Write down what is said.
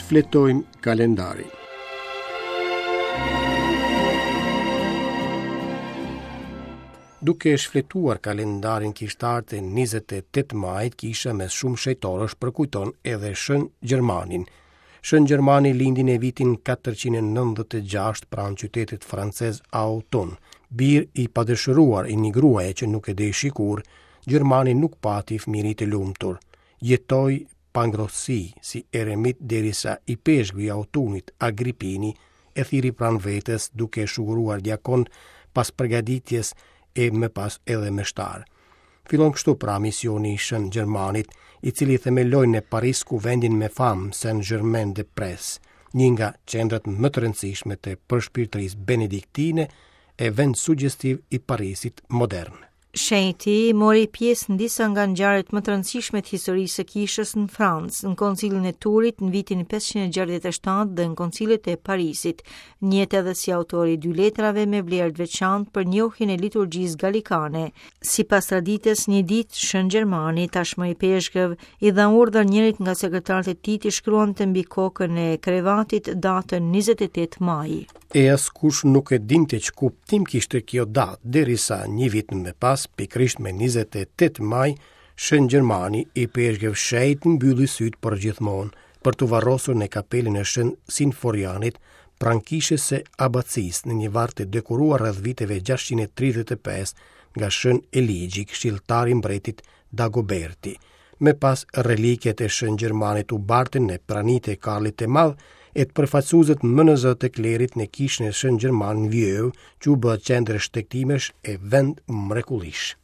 Shfletojmë kalendarin. Duke shfletuar kalendarin kishtar të 28 majit, kisha mes shumë shenjtorësh përkujton edhe Shën Gjermanin. Shën Gjermani lindi në vitin 496 pranë qytetit francez Autun. Bir i padëshiruar i një gruaje që nuk e deshi kurrë, Gjermani nuk pati fëmijëri të lumtur. Jetoi pa ngrohtësi, si eremit derisa ipeshkvi i Autunit, Agripini, e thirri pranë vetes duke e shuguruar diakon pas përgatitjes e më pas edhe meshtar. Fillon kështu pra misioni i Shën Gjermanit, i cili themeloi në Paris kuvendin me famë Saint-Germain des Prés, një nga qendrat më të rëndësishme të përshpirtërisë benediktine e vend sugjestiv i Parisit modern. Shenjti mori pjesë në disa nga ngjarjet më të rëndësishme të historisë së kishës në Francë, në Koncilin e Turit në vitin 567 dhe në Koncilet e Parisit. Njihet edhe si autor i dy letrave me vlerë të veçantë për njohjen e liturgjisë galikane. Sipas traditës, një ditë Shën Gjermani, tashmë ipeshkëv, i dha urdhër njërit nga sekretarët e tij të shkruante mbi kokën e krevatit datën 28 maj. E askush nuk e dinte ç'kuptim kishte kjo datë, derisa një vit më pas, pikërisht me 28 maj, Shën Gjermani, ipeshkëv shenjt mbylli sytë përgjithmonë, për t'u varrosur në kapelën e Shën Sinforianit, pranë kishës së Abacisë në një varr të dekoruar rreth viteve 635 nga Shën Eligji, këshilltar i mbretit Dagoberti. Më pas reliket e Shën Gjermanit u bartën në prani të Karlit të Madh e të përfaqësuesve më në zë të klerit në kishën e Shën Gjermanit në Vieu, që u bë qendër shtegtimesh e vend mrekullish.